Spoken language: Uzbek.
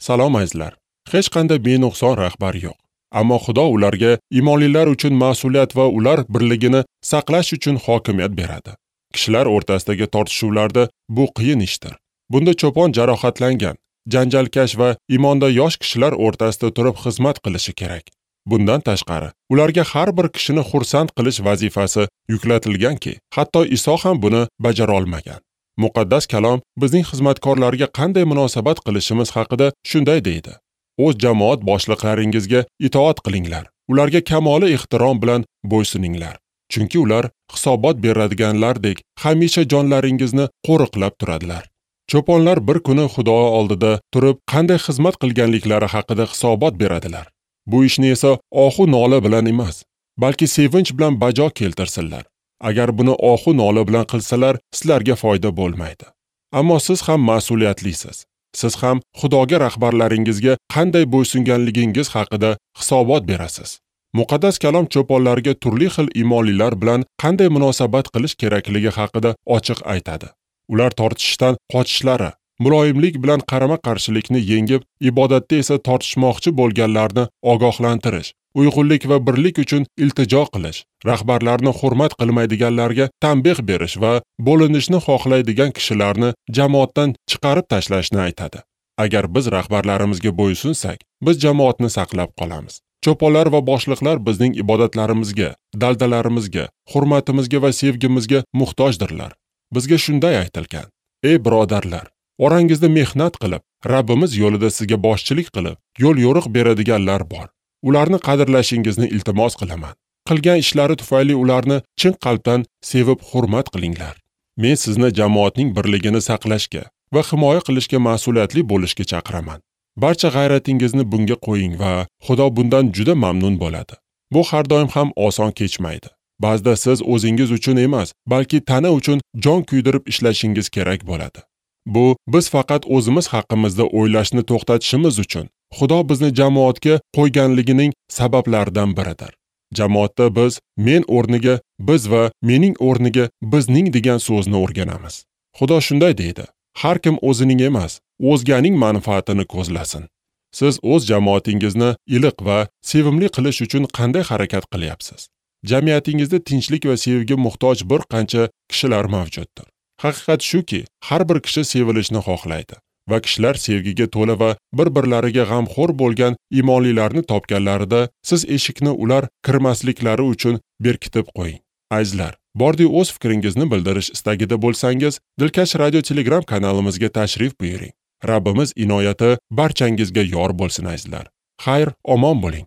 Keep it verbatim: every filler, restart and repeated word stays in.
Salom azizlar. Hech qanday benuqson rahbar yo'q. Ammo Xudo ularga imonlilar uchun mas'uliyat va ular birligini saqlash uchun hokimiyat beradi. Kishilar o'rtasidagi tortishuvlarda bu qiyin ishdir. Bunda cho'pon jarohatlangan, janjalkash va imonda yosh kishilar o'rtasida turib xizmat qilishi kerak. Bundan tashqari, ularga har bir kishini xursand qilish vazifasi yuklatilganki, hatto Iso ham buni bajara olmagan. Muqaddas kalom bizning xizmatkorlarga qanday munosabat qilishimiz haqida shunday deydi: O'z jamoat boshliqlaringizga itoat qilinglar. Ularga kamoli ehtirom bilan bo'ysuninglar. Chunki ular hisobot beradiganlardek hamisha jonlaringizni qo'riqlab turadilar. Cho'ponlar bir kuni Xudo oldida turib qanday xizmat qilganliklari haqida hisobot beradilar. Bu ishni esa ohu nola bilan emas, balki sevinch bilan bajo keltirsinlar. Agar buni ohu nola bilan qilsalar, sizlarga foyda bo'lmaydi. Ammo siz ham mas'uliyatlisiz. Siz ham Xudoga rahbarlaringizga qanday bo'ysunganligingiz haqida hisobot berasiz. Muqaddas kalom cho'ponlarga turli xil imonlilar bilan qanday munosabat qilish kerakligi haqida ochiq aytadi. Ular tortishishdan qochishlari, muloyimlik bilan qarama-qarshilikni yengib, ibodatda esa tortishmoqchi bo'lganlarni ogohlantirish, uyg'unlik va birlik uchun iltijo qilish, rahbarlarni hurmat qilmaydiganlarga tanbeh berish va bo'linishni xohlaydigan kishilarni jamoatdan chiqarib tashlashni aytadi. Agar biz rahbarlarimizga bo'ysunsak, biz jamoatni saqlab qolamiz. Cho'ponlar va boshliqlar bizning ibodatlarimizga, daldalarimizga, hurmatimizga va sevgimizga muhtojdirlar. Bizga shunday aytilgan: Ey birodarlar, orangizda mehnat qilib, Rabbimiz yo'lida sizga boshchilik qilib, yo'l yo'riq beradiganlar bor. Ularni qadrlashingizni iltimos qilaman. Qilgan ishlari tufayli ularni chin qalbdan sevib hurmat qilinglar. Men sizni jamoatning birligini saqlashga va himoya qilishga mas'uliyatli bo'lishga chaqiraman. Barcha g'ayratingizni bunga qo'ying va Xudo bundan juda mamnun bo'ladi. Bu har doim ham oson kechmaydi. Ba'zida siz o'zingiz uchun emas, balki tana uchun jon kuydirib ishlashingiz kerak bo'ladi. Bu biz faqat o'zimiz haqimizda o'ylashni to'xtatishimiz uchun Xudo bizni jamoatga qo'yganligining sabablaridan biridir. Jamoatda biz men o'rniga biz va mening o'rniga bizning degan so'zni o'rganamiz. Xudo shunday deydi: Har kim o'zining emas, o'zganing manfaatini ko'zlasin. Siz o'z jamoatingizni iliq va sevimli qilish uchun qanday harakat qilyapsiz? Jamiyatingizda tinchlik va sevgiga muhtoj bir qancha kishilar mavjuddir. Haqiqat shuki, har bir kishi sevilishni xohlaydi va kishilar sevgiga to'la va bir-birlariga g'amxo'r bo'lgan imonlilarni topganlarida siz eshikni ular kirmasliklari uchun berkitib qo'ying. Azizlar, bordi o'z fikringizni bildirish istagida bo'lsangiz, Dilkash Radio Telegram kanalimizga tashrif buyuring. Rabbimiz inoyati barchangizga yor bo'lsin azizlar. Xayr, omon bo'ling.